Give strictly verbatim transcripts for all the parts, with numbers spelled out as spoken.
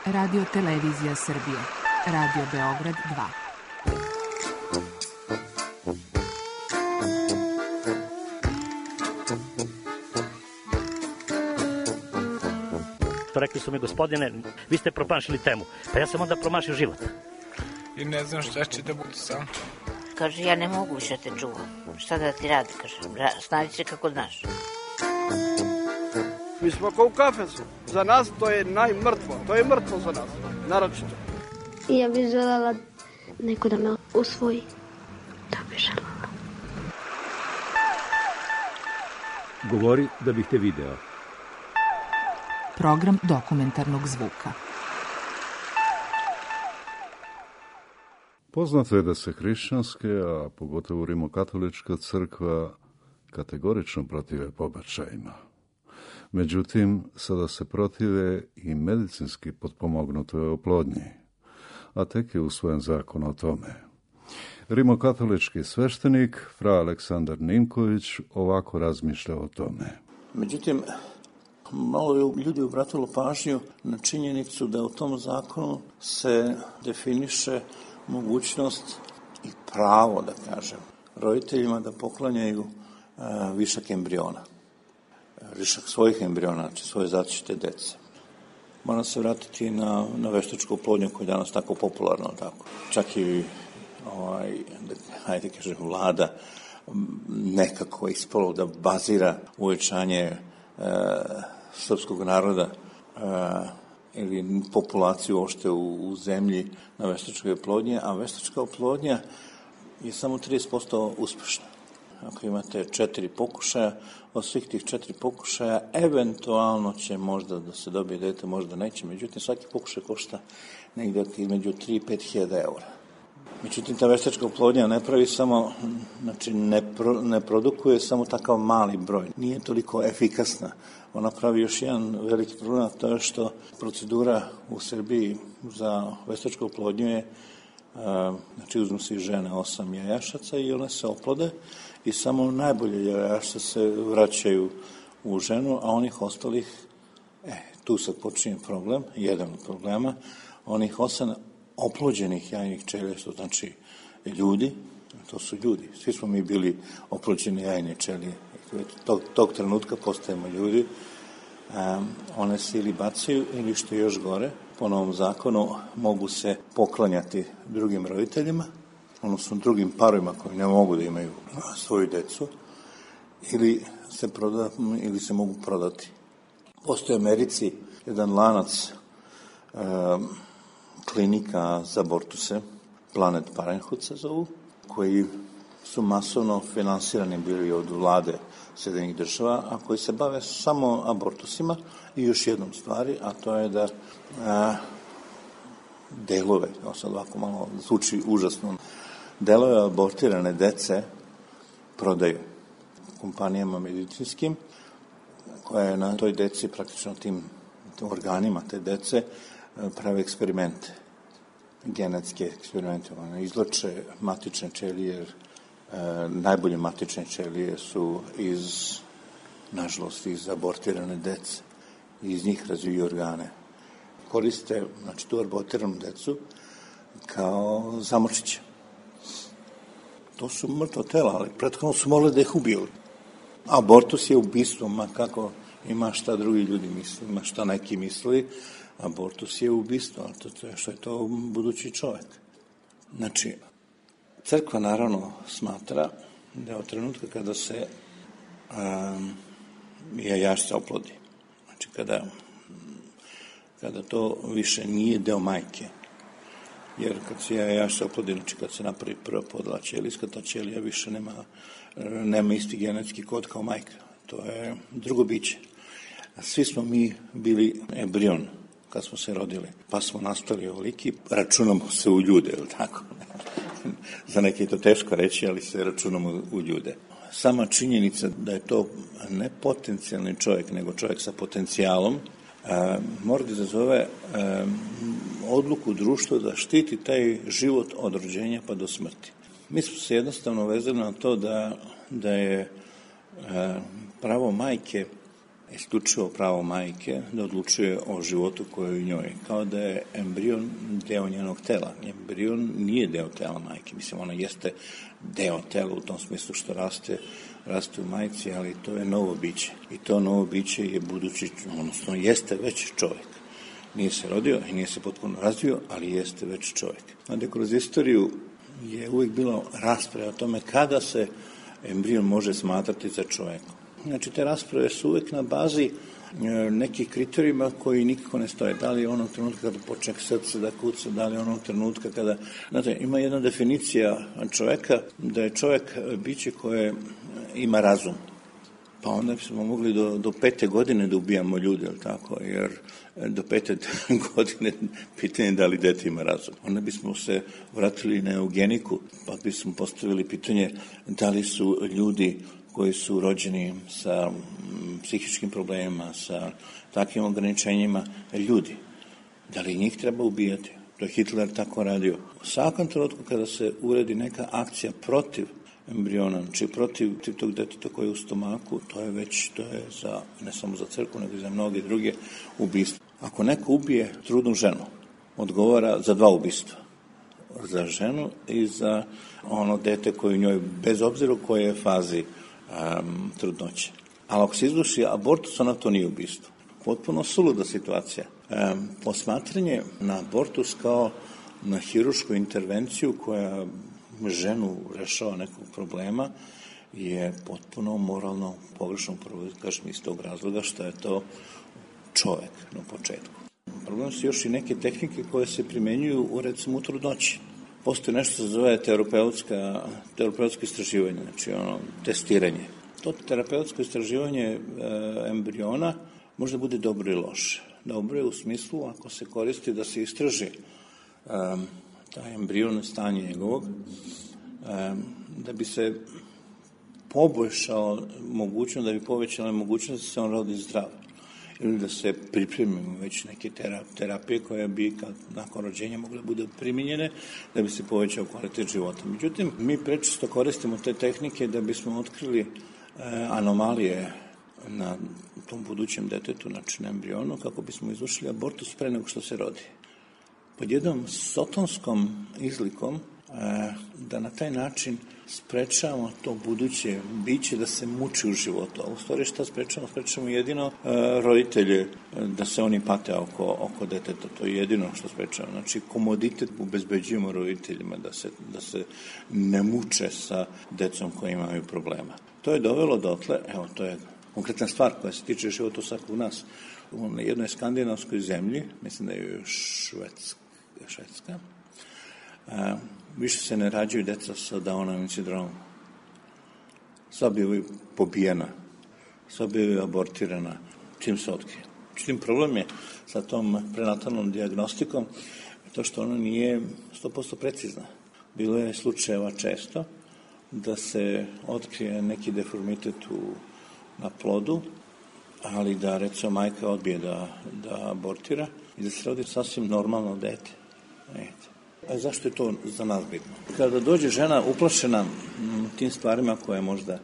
Radio Televizija Srbije. Radio Beograd dva. Rekli su mi, gospodine, vi ste promašili temu. Pa ja sam onda promašio život. I ne znam šta će da bude sam. Kaže, ja ne mogu više te čuvam. Šta da ti radi, kaže. Snađi se kako znaš. Mi smo kao u kafesu. Za nas to je najmrtvo. To je mrtvo za nas. Naročito. Ja bih želela neko da me usvoji. Da bih želela. Govori da bih te video. Program dokumentarnog zvuka. Poznato je da se hrišćanske, a pogotovo rimokatolička crkva kategorično protive pobačajima. Međutim, sada se protive i medicinski potpomognutoj oplodnji, a tek je usvojen zakon o tome. Rimokatolički sveštenik, fra Aleksandar Ninković, ovako razmišlja o tome. Međutim, malo je ljudi obratilo pažnju na činjenicu da u tom zakonu se definiše mogućnost i pravo, da kažem, roditeljima da poklanjaju a, višak embriona. Višak svojih embriona, znači svoje zatište dece. Moram se vratiti na, na veštačku oplodnju koja je danas tako popularno. Tako. Čak i, ovaj, da, hajde kažem, vlada nekako ispalo da bazira uvećanje e, srpskog naroda e, ili populaciju uopšte u, u zemlji na veštačkoj oplodnji, a veštačka oplodnja je samo trideset posto uspešna. Ako imate četiri pokušaja, od svih tih četiri pokušaja, eventualno će možda da se dobije dete, možda neće. Međutim, svaki pokušaj košta negdje između tri i pet hiljada eura. Međutim, ta veštačka oplodnja ne pravi samo, znači ne, pro, ne produkuje samo takav mali broj. Nije toliko efikasna. Ona pravi još jedan veliki problem, to je što procedura u Srbiji za veštačku oplodnju je, znači uzmu se i žene osam jajašaca i one se oplode i samo najbolje jajašca se vraćaju u ženu, a onih ostalih, e, tu sad počinje problem, jedan od problema, onih osam oplođenih jajnih ćelija, što znači ljudi, to su ljudi, svi smo mi bili oplođeni jajne ćelije, tog, tog trenutka postajemo ljudi, um, one se ili bacaju ili što je još gore, po novom zakonu mogu se poklanjati drugim roditeljima, odnosno drugim parovima koji ne mogu da imaju svoju decu, ili se, proda, ili se mogu prodati. Postoji u Americi jedan lanac um, klinika za abortuse, Planet Parenthood se zovu, koji su masovno finansirani bili od vlade Sjedinjenih država, a koji se bave samo abortusima i još jednom stvari, a to je da a, delove, ovo sad ovako malo zvuči užasno, delove abortirane dece prodaju kompanijama medicinskim, koje na toj deci, praktično tim, tim organima te dece, prave eksperimente, genetske eksperimente. One izloče matične ćelije, jer e, najbolje matične ćelije su iz, nažalost, iz abortirane dece. Iz njih razviju organe. Koriste, znači, tu abortiranu decu kao zamorčiće. To su mrtva tela, ali prethodno su mogli da ih ubiju. Abortus je ubistvo, ma kako ima šta drugi ljudi misli, ima šta neki misli. Abortus je ubistvo, ali to je što je to budući čovjek. Znači, crkva naravno smatra da od trenutka kada se um, jajašca oplodi, znači kada, kada to više nije deo majke, jer kad se jajašca oplodi, znači kad se napravi prva podela ćelijska, ta ćelija više nema, nema isti genetski kod kao majka. To je drugo biće. Svi smo mi bili embrion kad smo se rodili, pa smo nastali ovoliki, računamo se u ljude, ili tako? Za neke je to teško reći, ali se računamo u ljude. Sama činjenica da je to ne potencijalni čovjek, nego čovjek sa potencijalom, a, mora da izazove a, odluku društva da štiti taj život od rođenja pa do smrti. Mi smo se jednostavno vezali na to da, da je a, pravo majke isključivo pravo majke da odlučuje o životu koji je u njoj, kao da je embrion deo njenog tela. Embrion nije deo tela majke, mislim, ona jeste deo tela u tom smislu što raste, raste u majci, ali to je novo biće. I to novo biće je budući, odnosno jeste već čovjek. Nije se rodio i nije se potpuno razvio, ali jeste već čovjek. Onda kroz istoriju je uvijek bilo rasprave o tome kada se embrion može smatrati za čovjekom. Znači, te rasprave su uvijek na bazi nekih kriterijuma koji nikako ne stoje. Da li je onog trenutka kada počne srce da kuca, da li je onog trenutka kada... Znate, ima jedna definicija čovjeka da je čovjek biće koje ima razum. Pa onda bismo mogli do, do pete godine da ubijamo ljude, ili tako, jer do pete godine pitanje da li dete ima razum. Onda bismo se vratili na eugeniku, pa bismo postavili pitanje da li su ljudi koji su rođeni sa psihičkim problemima, sa takvim ograničenjima, ljudi. Da li njih treba ubijati? To je Hitler tako radio. U svakom trenutku kada se uredi neka akcija protiv embriona, či protiv tog deteta koji je u stomaku, to je već, to je za, ne samo za crkvu, nego i za mnoge druge ubistva. Ako neko ubije trudnu ženu, odgovara za dva ubistva. Za ženu i za ono dete koje u njoj, bez obzira u kojoj fazi um, trudnoće. Ali ako se izvrši abortus, ona to nije ubistvo. Potpuno suluda situacija. Um, posmatranje na abortus kao na hirušku intervenciju koja ženu rešava nekog problema je potpuno moralno pogrešno, prvo kažem iz tog razloga što je to čovjek na početku. Problem su još i neke tehnike koje se primenjuju u, recimo, u trudnoći. Postoji nešto što se zove terapeutska, terapeutsko istraživanje, znači ono, testiranje. To terapeutsko istraživanje e, embriona može bude dobro i loše. Dobro je u smislu ako se koristi da se istraži e, taj embrion, stanje njegovog, e, da bi se poboljšao mogućnost, da bi povećala mogućnost da se on rodi zdrav. Ili da se pripremimo već neke terapije koje bi kad, nakon rođenja mogle da bude primjenjene da bi se povećao kvalitet života. Međutim, mi prečesto koristimo te tehnike da bismo otkrili e, anomalije na tom budućem detetu, znači na embrionu, kako bismo izvršili abortus pre nego što se rodi. Pod jednom sotonskom izlikom e, da na taj način sprečavamo to buduće biće da se muči u životu. A u stvari šta sprečavamo? Sprečavamo jedino e, roditelje da se oni pate oko, oko deteta. To je jedino što sprečavamo. Znači, komoditet obezbeđujemo roditeljima da se, da se ne muče sa decom koji imaju problema. To je dovelo dotle, evo, to je konkretna stvar koja se tiče života svakog nas. U jednoj skandinavskoj zemlji, mislim da je Švedska, Švedska a, više se ne rađaju deca sa Downovim sindromom. Sva bi pobijena, sva bi abortirana, čim se otkrije. Čim problem je sa tom prenatalnom dijagnostikom to što ona nije sto posto precizna. Bilo je slučajeva često da se otkrije neki deformitet u, na plodu, ali da, recimo, majka odbije da, da abortira i da se rodi sasvim normalno dete. A zašto je to za nas bitno? Kada dođe žena uplašena tim stvarima koje je možda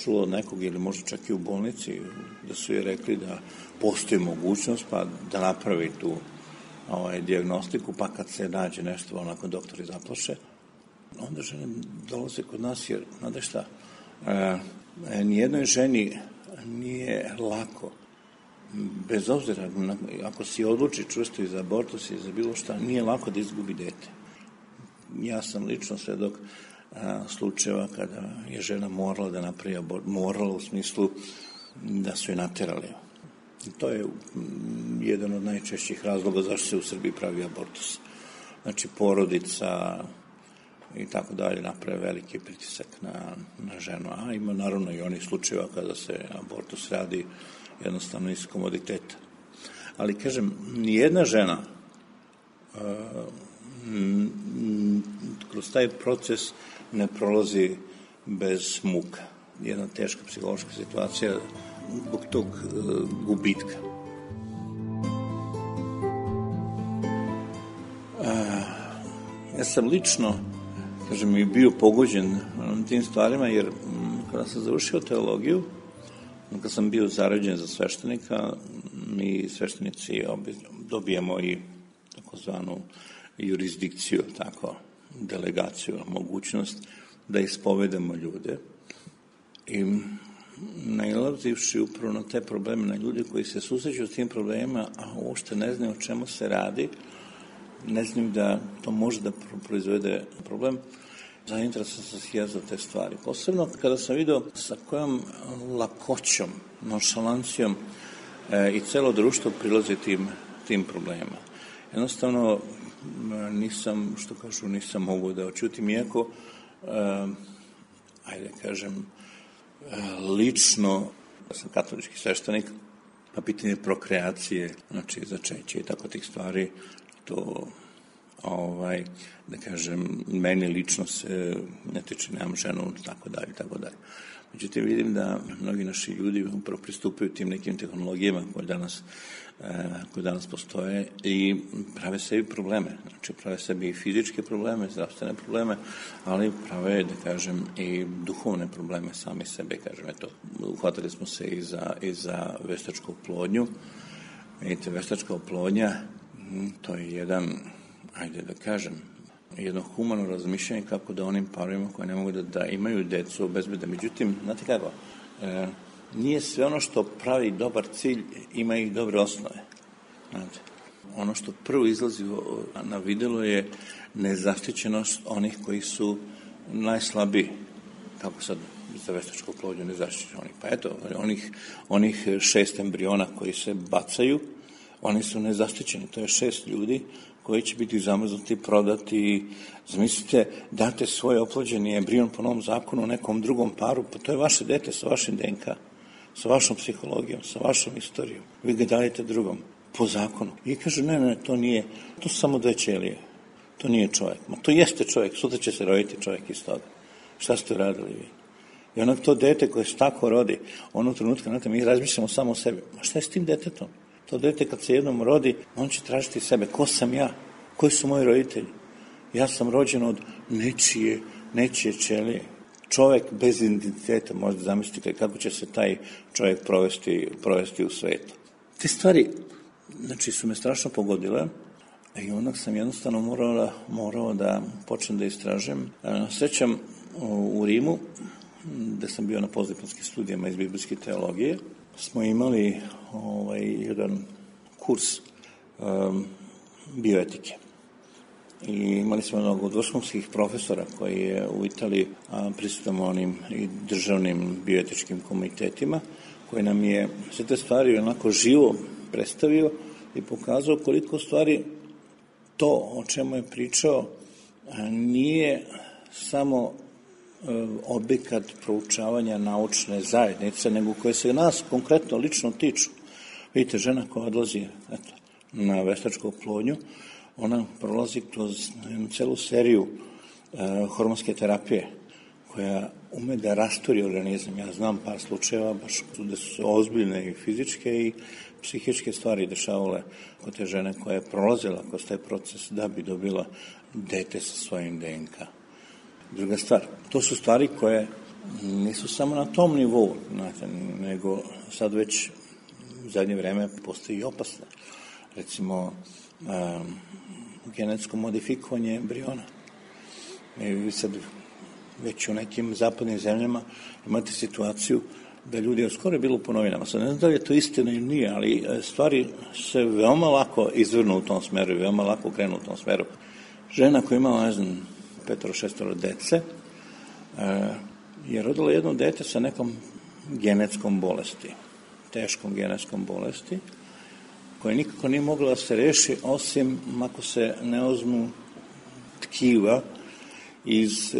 čula od nekog ili možda čak i u bolnici, da su je rekli da postoji mogućnost pa da napravi tu ovaj, dijagnostiku, pa kad se nađe nešto onako doktori zaplaše, onda žene dolaze kod nas jer, znate šta, e, nijednoj ženi nije lako, bez obzira, ako si odluči čvrsto i za abortus i za bilo šta, nije lako da izgubi dete. Ja sam lično svedok a, slučajeva kada je žena morala da napravi abortus, morala u smislu da su je naterali. I to je m, jedan od najčešćih razloga zašto se u Srbiji pravi abortus. Znači, porodica i tako dalje naprave veliki pritisak na, na ženu. A ima naravno i onih slučajeva kada se abortus radi jednostavno iz komoditeta. Ali, kažem, nijedna žena uh, m, m, kroz taj proces ne prolazi bez muka. Jedna teška psihološka situacija zbog tog uh, gubitka. Uh, ja sam lično, kažem, i bio pogođen tim stvarima, jer m, kada sam završio teologiju, Kad sam bio zarađen za sveštenika, mi sveštenici dobijemo i takozvanu jurisdikciju, tako, delegaciju, mogućnost da ispovedamo ljude. I nailazivši upravo na te probleme, na ljudi koji se susreću s tim problemima, a uopšte ne znaju o čemu se radi, ne znaju da to može da proizvede problem, zainteresovan sam se ja za te stvari. Posebno kada sam vidio sa kojom lakoćom, nonšalancijom e, i celo društvo prilazi tim, tim problemima. Jednostavno, nisam, što kažu, nisam mogu da očutim, iako, e, ajde kažem, e, lično, ja sam katolički sveštenik, pa pitanje prokreacije, znači začeće i tako tih stvari, to, ovaj, da kažem, meni lično se ne tiče, nemam ženu, tako dalje, tako dalje. Međutim, vidim da mnogi naši ljudi upravo pristupaju tim nekim tehnologijama koje danas, koje danas postoje i prave sebi probleme. Znači, prave sebi i fizičke probleme, zdravstvene probleme, ali prave, da kažem, i duhovne probleme sami sebe. Kažem, eto, uhvatili smo se i za, i za veštačku oplodnju. Vidite, veštačka oplodnja, to je jedan, ajde da kažem, jedno humano razmišljanje kako da onim parovima koji ne mogu da, da imaju decu obezbede. Međutim, znate kako, e, nije sve ono što pravi dobar cilj, ima i dobre osnove. Znate, ono što prvo izlazi na videlo je nezaštićenost onih koji su najslabiji. Kako sad za veštačku oplodnju nezaštićeni oni? Pa eto, onih, onih šest embriona koji se bacaju, oni su nezaštićeni. To je šest ljudi koji će biti zamrznuti, prodati. Zamislite, date svoj oplođeni embrion po novom zakonu nekom drugom paru, pa to je vaše dete sa vašim D N K, sa vašom psihologijom, sa vašom istorijom. Vi ga dajete drugom, po zakonu. I kaže, ne, ne, to nije, to su samo dve ćelije. To nije čovjek. Ma to jeste čovjek, sutra će se roditi čovjek iz toga. Šta ste radili vi? I onak to dete koje se tako rodi, onog trenutka, znate, mi razmišljamo samo o sebi. Ma šta je s tim detetom? To dete kad se jednom rodi, on će tražiti sebe. Ko sam ja? Koji su moji roditelji? Ja sam rođen od nečije, nečije ćelije. Čovjek bez identiteta, možda zamislite kako će se taj čovjek provesti, provesti u svetu. Te stvari, znači, su me strašno pogodile i onak sam jednostavno morao da, morao da počnem da istražem. Srećam u Rimu, gde sam bio na postdiplomskim studijama iz biblijske teologije, smo imali ovaj, jedan kurs um, bioetike. I imali smo mnogo vrhunskih profesora koji je u Italiji prisutan onim i državnim bioetičkim komitetima, koji nam je sve te stvari onako živo predstavio i pokazao koliko stvari to o čemu je pričao nije samo objekat proučavanja naučne zajednice, nego koje se nas konkretno lično tiču. Vidite, žena koja odlazi eto, na veštačku oplodnju, ona prolazi kroz jednu celu seriju e, hormonske terapije, koja ume da rasturi organizam. Ja znam par slučajeva, baš da su se ozbiljne i fizičke i psihičke stvari dešavale kod te žene koja je prolazila kroz taj proces da bi dobila dete sa svojim D N K. Druga stvar, to su stvari koje nisu samo na tom nivou, znate, nego sad već u zadnje vreme postoji i opasne. Recimo, um, genetsko modifikovanje embriona. I sad već u nekim zapadnim zemljama imate situaciju da ljudi, skoro je bilo po novinama, sad ne znam da li je to istina ili nije, ali stvari se veoma lako izvrnu u tom smeru i veoma lako krenu u tom smeru. Žena koja imala, ne znam, petoro, šestoro dece, je rodila jedno dete sa nekom genetskom bolesti, teškom genetskom bolesti, koja nikako nije mogla da se reši, osim ako se ne uzmu tkiva iz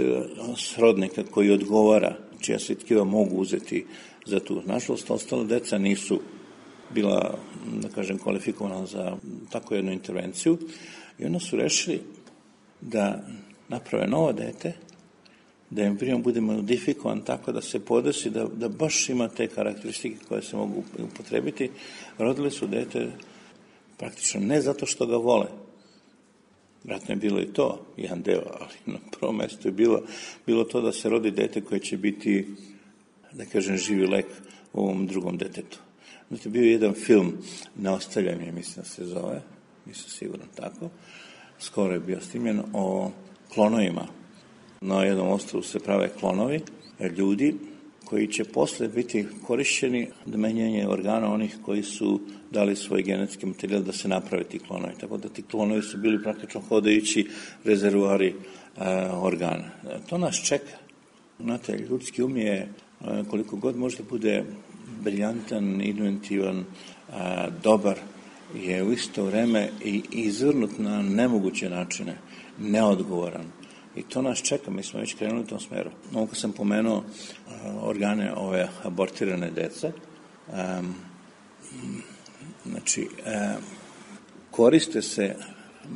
srodnika koji odgovara, čija se tkiva mogu uzeti za tu. Nažalost, ostala deca nisu bila, da kažem, kvalifikovana za takvu jednu intervenciju i onda su rešili da naprave novo dete, da embrion bude modifikovan tako da se podesi, da, da baš ima te karakteristike koje se mogu upotrebiti. Rodili su dete praktično ne zato što ga vole. Vratno je bilo i to, jedan deo, ali na prvom mestu je bilo, bilo to da se rodi dete koje će biti, da kažem, živi lek ovom drugom detetu. Znate, bio je jedan film, Neostavljaj me, mislim da se zove, mislim sigurno tako, skoro je bio snimljen, o klonovima. Na jednom ostrvu se prave klonovi, ljudi koji će posle biti korišćeni do menjanja organa onih koji su dali svoj genetski materijal da se naprave ti klonovi. Tako da ti klonovi su bili praktično hodajući rezervoari e, organa. To nas čeka. Znate, ljudski um je e, koliko god može da bude briljantan, inventivan, e, dobar, je u isto vreme i izvrnut na nemoguće načine, neodgovoran. I to nas čeka, mi smo već krenuli u tom smeru. Ovo kad sam pomenuo uh, organe ove abortirane dece, um, znači, uh, koriste se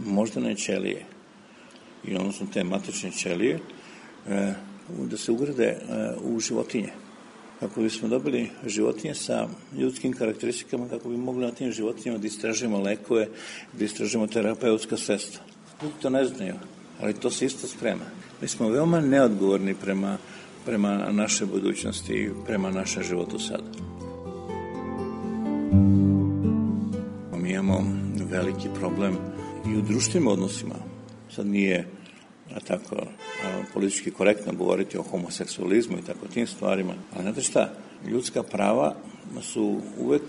moždane ćelije, i odnosno te matične ćelije, uh, da se ugrade uh, u životinje. Kako bismo dobili životinje sa ljudskim karakteristikama, kako bi mogli na tim životinjama da istražimo lekove, da istražimo terapeutska sredstva. Ljudi to ne znaju, ali to se isto sprema. Mi smo veoma neodgovorni prema, prema naše budućnosti i prema našem životu sada. Mi imamo veliki problem i u društvenim odnosima. Sad nije a tako a, politički korektno govoriti o homoseksualizmu i tako tim stvarima, ali znate šta, ljudska prava su uvek,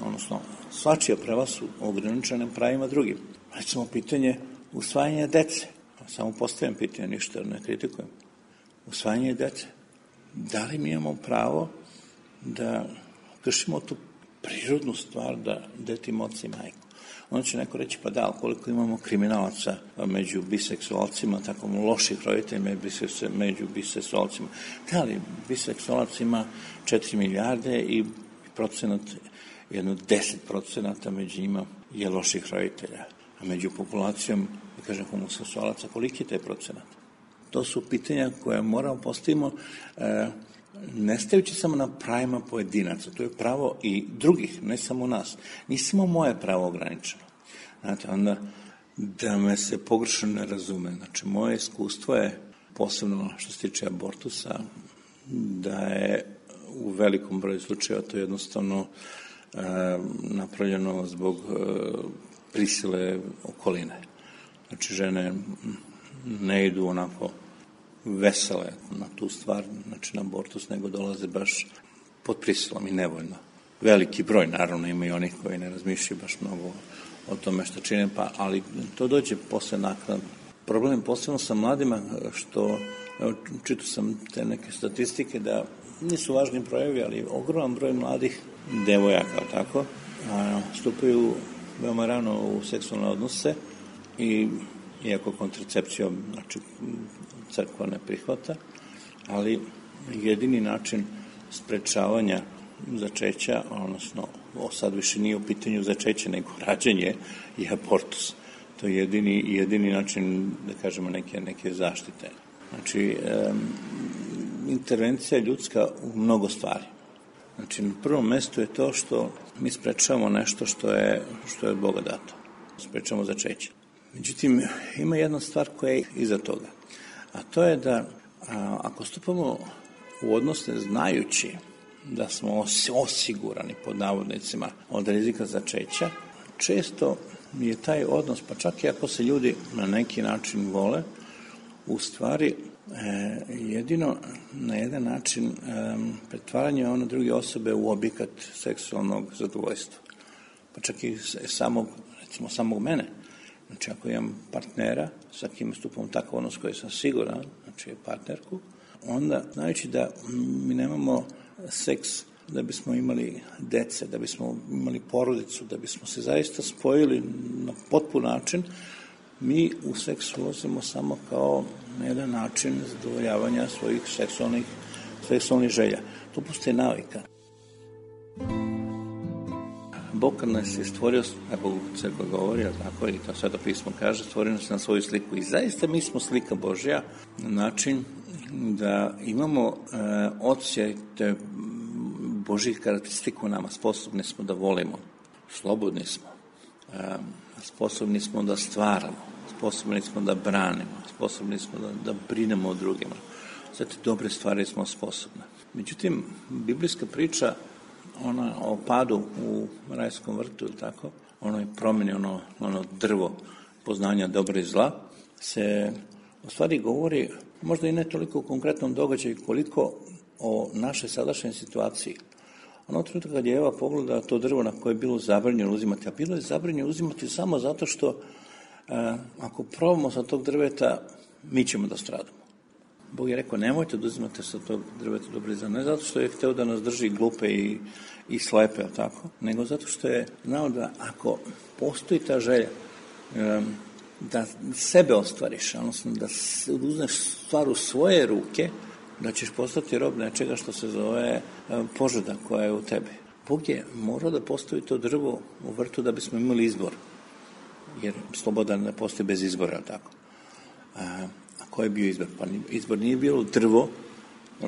odnosno svačija prava su ograničene pravima drugim. Recimo pitanje usvajanja dece. Samo postavljam pitanje, ništa ne kritikujem. Usvajanje dece. Da li mi imamo pravo da kršimo tu prirodnu stvar da dete ima oca i majku? Onda će neko reći, pa da, koliko imamo kriminalaca među biseksualcima, tako loših roditelja među biseksualcima. Da li biseksualac ima četiri milijarde i procenat, jedno deset procenata među njima je loših roditelja. A među populacijom, da kažem, homoseksualaca, koliki je taj procenat? To su pitanja koje moramo postavimo, e, ne stajući samo na pravima pojedinaca, to je pravo i drugih, ne samo nas. Nije samo moje pravo ograničeno. Znate, onda da me se pogrešno ne razume. Znači, moje iskustvo je, posebno što se tiče abortusa, da je u velikom broju slučajeva to jednostavno e, napravljeno zbog e, prisile okoline. Znači, žene ne idu onako vesele na tu stvar, znači na abortus, nego dolaze baš pod prisilom i nevoljno. Veliki broj, naravno, ima i onih koji ne razmišljaju baš mnogo o tome što čine, pa, ali to dođe posle naknadno. Problem je posebno sa mladima, što, evo, čitao sam te neke statistike, da nisu važni brojevi, ali ogroman broj mladih devojaka, tako, a, stupaju veoma rano u seksualne odnose i iako kontracepcija, znači, crkva ne prihvata, ali jedini način sprečavanja začeća, odnosno sad više nije u pitanju začeće, nego rađenje i abortus. To je jedini, jedini način, da kažemo, neke, neke zaštite. Znači, um, intervencija je ljudska u mnogo stvari. Znači, na prvom mestu je to što mi sprečavamo nešto što je, što je od Boga dato. Sprečavamo začeće. Međutim, ima jedna stvar koja je iza toga. A to je da a, ako stupamo u odnose znajući da smo osigurani, pod navodnicima, od rizika začeća, često je taj odnos, pa čak i ako se ljudi na neki način vole, u stvari e, jedino na jedan način e, pretvaranje one druge osobe u objekat seksualnog zadovoljstva. Pa čak i samog, recimo, samog mene. Znači, ako imam partnera, sa kim stupam takav odnos koji sam siguran, znači partnerku, onda, znajući da mi nemamo seks da bismo imali dece, da bismo imali porodicu, da bismo se zaista spojili na potpun način, mi u seks ulazimo samo kao na jedan način zadovoljavanja svojih seksualnih, seksualnih želja. To postoje navika. Bog kad nas je stvorio, kako crkva govori, tako i to Sveto pismo kaže, stvorio nas na svoju sliku. I zaista mi smo slika Božja na način da imamo e, odsjaj te Božjih karakteristika u nama. Sposobni smo da volimo, slobodni smo, e, sposobni smo da stvaramo, sposobni smo da branimo, sposobni smo da, da brinemo o drugima. Sve te dobre stvari smo sposobne. Međutim, biblijska priča ona o padu u rajskom vrtu, ili tako, onoj promjeni, ono, ono drvo poznanja dobra i zla, se u stvari govori, možda i ne toliko u konkretnom događaju, koliko o našoj sadašnjoj situaciji. Ono trenutka kad je Eva pogledala to drvo na koje je bilo zabranjeno uzimati, a bilo je zabranjeno uzimati samo zato što a, ako probamo sa tog drveta, mi ćemo da stradamo. Bog je rekao, nemojte da uzimate sa tog drveta dobro i zla, ne zato što je hteo da nas drži glupe i, i slepe, tako, nego zato što je znao da ako postoji ta želja um, da sebe ostvariš, odnosno da uzmeš stvar u svoje ruke, da ćeš postati rob nečega što se zove požuda koja je u tebi. Bog je morao da postavi to drvo u vrtu da bismo imali izbor, jer sloboda ne postoji bez izbora, tako. A, a koji je bio izbor? Pa izbor nije bilo drvo,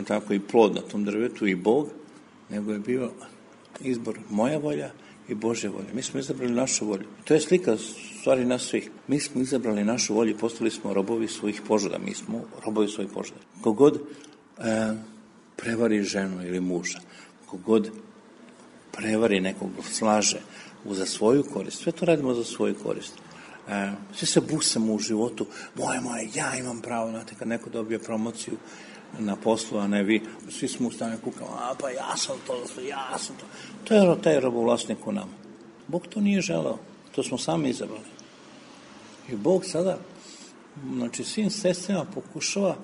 tako, i plod na tom drvetu i Bog, nego je bio izbor moja volja i Božja volja. Mi smo izabrali našu volju. To je slika stvari nas svih. Mi smo izabrali našu volju i postali smo robovi svojih požuda. Mi smo robovi svojih požuda. Kogod e, prevari ženu ili muža, kogod prevari nekog, slaže za svoju korist, sve to radimo za svoju korist. E, sve se busamo u životu, moje, moje, ja imam pravo, znate, kad neko dobije promociju na poslu, a ne vi, svi smo u stanju kukamo, a pa ja sam to, ja sam to. To je taj robovlasnik u nama. Bog to nije želeo, to smo sami izabrali. I Bog sada, znači, svim sredstvima pokušava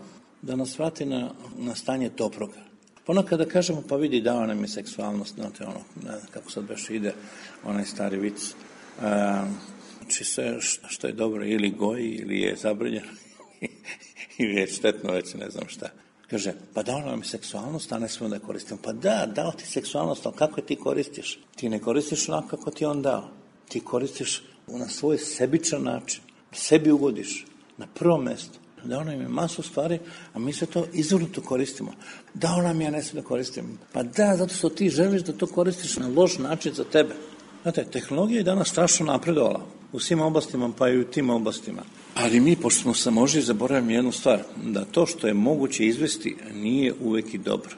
da nas vrati na, na stanje dobroga. Ponekad da kažemo, pa vidi, dao nam je seksualnost, znate, ono, ne znam kako sad baš ide, onaj stari vic, a, znači sve što je dobro ili goji, ili je zabranjeno, ili je štetno, već ne znam šta. Kaže, pa dao nam je seksualnost, a ne smo da je koristimo. Pa da, dao ti seksualnost, ali kako je ti koristiš? Ti ne koristiš onako kako ti on dao. Ti koristiš na svoj sebičan način. Sebi ugodiš na prvo mesto. Dao nam je masu stvari, a mi se to izvrnuto koristimo. Dao nam je, a ne sve da koristimo. Pa da, zato što ti želiš da to koristiš na loš način za tebe. Znate, tehnologija je danas strašno napredovala u svim oblastima, pa i u tim oblastima. Ali mi, pošto smo se možda zaboravimo jednu stvar, da to što je moguće izvesti nije uvek i dobro.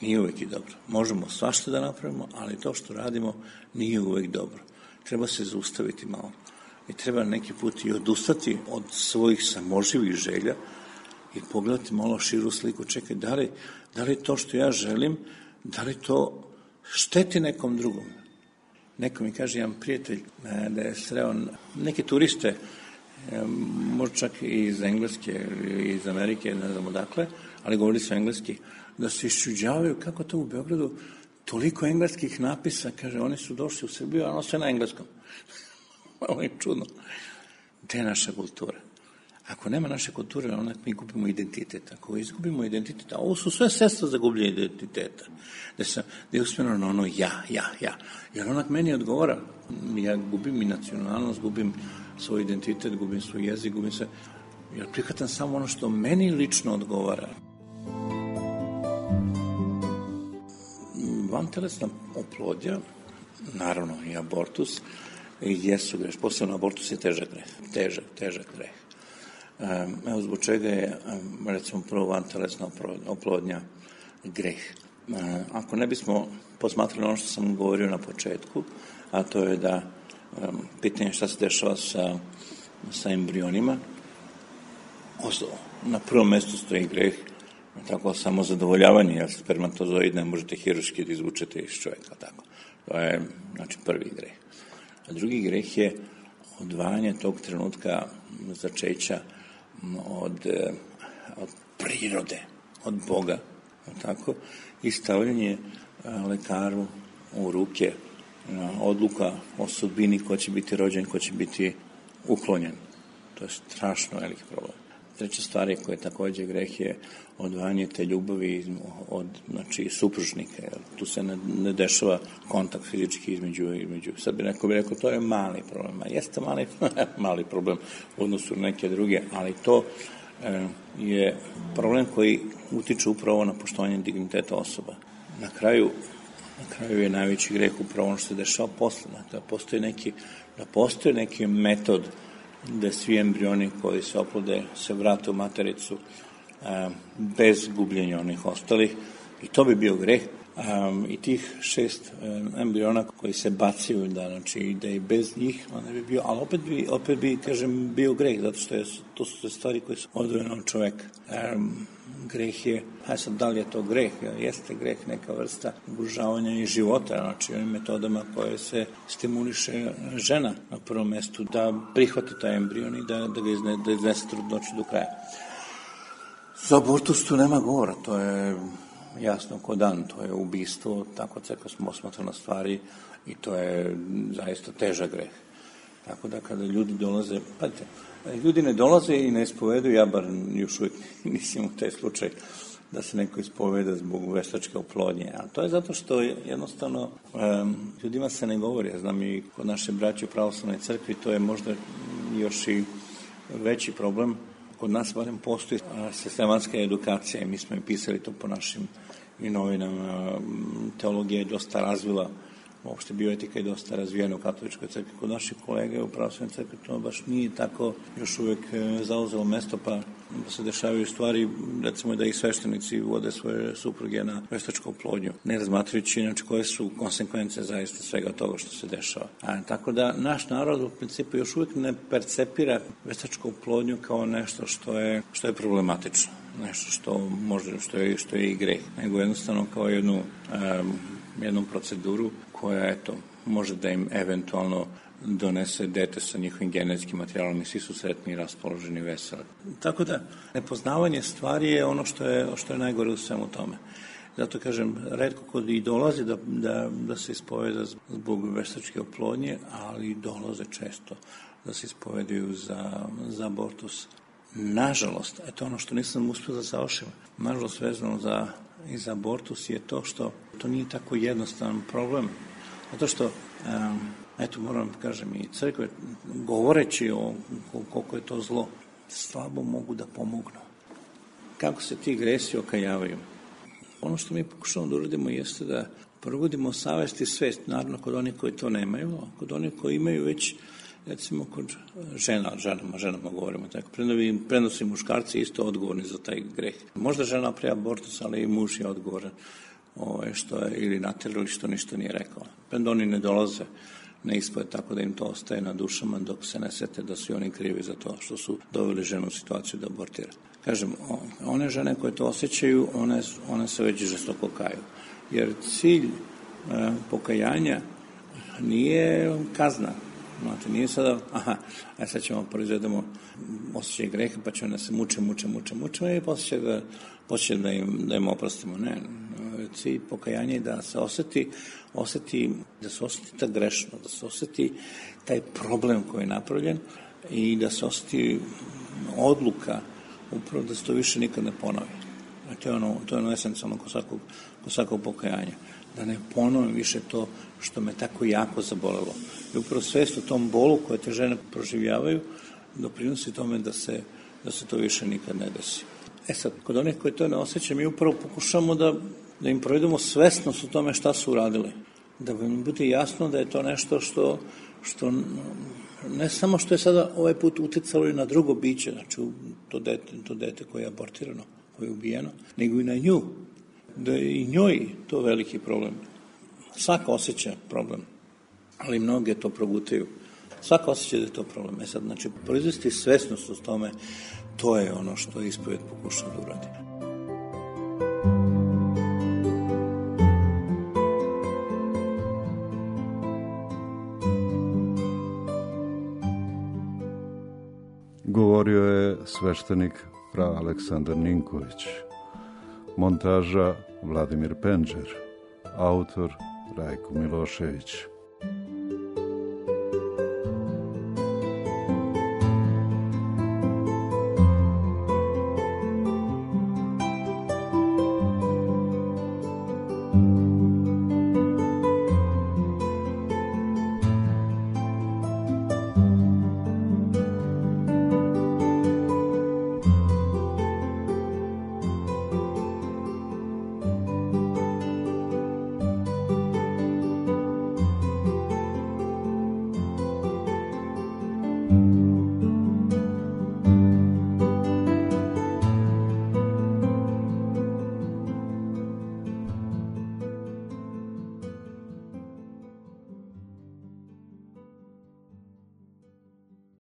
Nije uvek i dobro. Možemo svašta da napravimo, ali to što radimo nije uvek dobro. Treba se zaustaviti malo. I treba neki put i odustati od svojih samoživih želja i pogledati malo širu sliku. Čekaj, da li, da li to što ja želim, da li to šteti nekom drugom? Neko mi kaže, jedan prijatelj, da je sreo neke turiste, možda čak i iz Engleske ili iz Amerike, ne znam odakle, ali govorili su engleski, da se iščuđavaju kako to u Beogradu toliko engleskih napisa, kaže, oni su došli u Srbiju, a ono sve na engleskom. Ovo je čudno. Gde je naša kultura? Ako nema naše kulture, onda mi gubimo identitet. Ako izgubimo identitet, a ovo su sve sredstva za gubljenje identiteta. Da, sam, da je usmjereno na ono ja, ja, ja. Jer onak meni odgovara. Ja gubim i nacionalnost, gubim svoj identitet, gubim svoj jezik, gubim sve. Ja prihvatam samo ono što meni lično odgovara. Vantelesna oplodnja, naravno i abortus, jesu greh. Posebno abortus je težak greh. Težak, težak greh. Evo zbog čega je, recimo, prvo vantelesna oplodnja greh. Ako ne bismo posmatrali ono što sam govorio na početku, a to je da pitanje šta se dešava sa, sa embrionima, na prvom mestu stoji greh, tako samo zadovoljavanje, jer spermatozoid ne možete hiruški da izvučete iz čovjeka, tako. To je, znači, prvi greh. A drugi greh je odvajanje tog trenutka začeća od, od prirode, od Boga, tako, i stavljanje lekaru u ruke odluka o sudbini ko će biti rođen, ko će biti uklonjen. To je strašno veliki problem. Treća stvar koja je također greh je odvajanje te ljubavi od, znači, supružnika. Tu se ne, ne dešava kontakt fizički između, između. Sad bi neko bi rekao, to je mali problem. A jeste mali, mali problem u odnosu na neke druge, ali to e, je problem koji utiče upravo na poštovanje digniteta osoba. Na kraju, na kraju je najveći greh upravo ono što se dešava posle. Da postoji neki, da postoji neki metod da svi embrioni koji se oplode se vrate u matericu a, bez gubljenja onih ostalih, i to bi bio greh, Um, I tih šest um, embriona koji se bacaju, da, znači, da i bez njih, on ne bi bio, ali opet bi, opet bi, kažem, bio greh, zato što je, to su stvari koje su odvojene od čoveka. Um, greh je, hajde sad, da li je to greh? Jeste greh neka vrsta ugrožavanja i života, znači onim metodama koje se stimuliše žena na prvom mestu da prihvati taj embrion i da, da ga izne, da iznese trudnoću do kraja. Za abortus tu nema govora, to je jasno ko dan, to je ubistvo, tako crkva smo osmatrana stvari i to je zaista težak greh. Tako da kada ljudi dolaze, pazite, ljudi ne dolaze i ne ispovedaju, ja bar još uvijek nisam u taj slučaj da se neko ispoveda zbog veštačke oplodnje, a to je zato što jednostavno um, ljudima se ne govori, ja znam i kod naše braće u pravoslavnoj crkvi, to je možda još i veći problem. Kod nas barem postoji sistematska edukacija i mi smo i pisali to po našim i novinama. Teologija je dosta razvila, uopšte bioetika je dosta razvijena u katoličkoj crkvi. Kod naših kolega u pravoslavnoj crkvi to baš nije tako još uvek zauzelo mesto, pa se dešavaju stvari, recimo da i sveštenici vode svoje supruge na veštačku oplodnju, ne razmatrajući inače koje su konsekvence zaista svega toga što se dešava. A, tako da naš narod u principu još uvek ne percepira veštačku oplodnju kao nešto što je, što je problematično, nešto što može, što je, što je i greh, nego jednostavno kao jednu, um, jednu proceduru koja, eto, može da im eventualno donese dete sa njihovim genetskim materijalom i svi su sretni i raspoloženi i veseli. Tako da, nepoznavanje stvari je ono što je, što je najgore u svemu tome. Zato kažem, retko kod i dolazi da, da, da se ispoveda zbog veštačke oplodnje, ali dolaze često da se ispovedaju za, za abortus. Nažalost, eto ono što nisam uspio da završim, nažalost vezano za, i za abortus je to što to nije tako jednostavan problem. Zato što um, eto, moram da kažem, i crkve, govoreći o koliko je to zlo, slabo mogu da pomognu. Kako se ti gresi okajavaju? Ono što mi pokušamo da uradimo jeste da probudimo savest i svest, naravno kod onih koji to nemaju, a kod onih koji imaju već, recimo kod žena, ženama, ženama govorimo tako, prenosi muškarci isto odgovorni za taj greh. Možda žena pre abortus, ali i muž je odgovoran ove, što je ili naterali što ništa nije rekao. Prenda oni ne dolaze ne ispoje tako da im to ostaje na dušama dok se ne sete da su oni krivi za to što su doveli ženu u situaciju da abortira. Kažem, one žene koje to osjećaju, one, one se već žestoko kaju. Jer cilj e, pokajanja nije kazna. Znate, nije sada, aha, aj sad ćemo proizvedemo osjećaj greha, pa ćemo da se muče, muče, muče, muče i posjeće da, posjeće da, im, da im oprostimo. Ne, cilj pokajanja je da se osjeti, osjeti, da se osjeti ta grešno, da se osjeti taj problem koji je napravljen i da se osjeti odluka upravo da se to više nikad ne ponovi. To je ono, to je ono esencijalno kod svakog, kod svakog pokajanja. Da ne ponovim više to što me tako jako zabolelo. I upravo svest o tom bolu koje te žene proživljavaju doprinosi tome da se, da se to više nikad ne desi. E sad, kod onih koji to ne osjećaju, mi upravo pokušamo da, da im provedemo svesnost o tome šta su uradili. Da im bude jasno da je to nešto što, što ne samo što je sada ovaj put uticalo i na drugo biće, znači to dete, to dete koje je abortirano, koje je ubijeno, nego i na nju. Da je i njoj to veliki problem. Svaka osjeća problem, ali mnoge to progutaju. Svaka osjeća da je to problem. E sad, znači, proizvesti svesnost o tome, to je ono što ispoved pokušao da uradi. Govorio je sveštenik fra Aleksandar Ninković. Montaža Vladimir Penđer. Autor Rajko Milošević.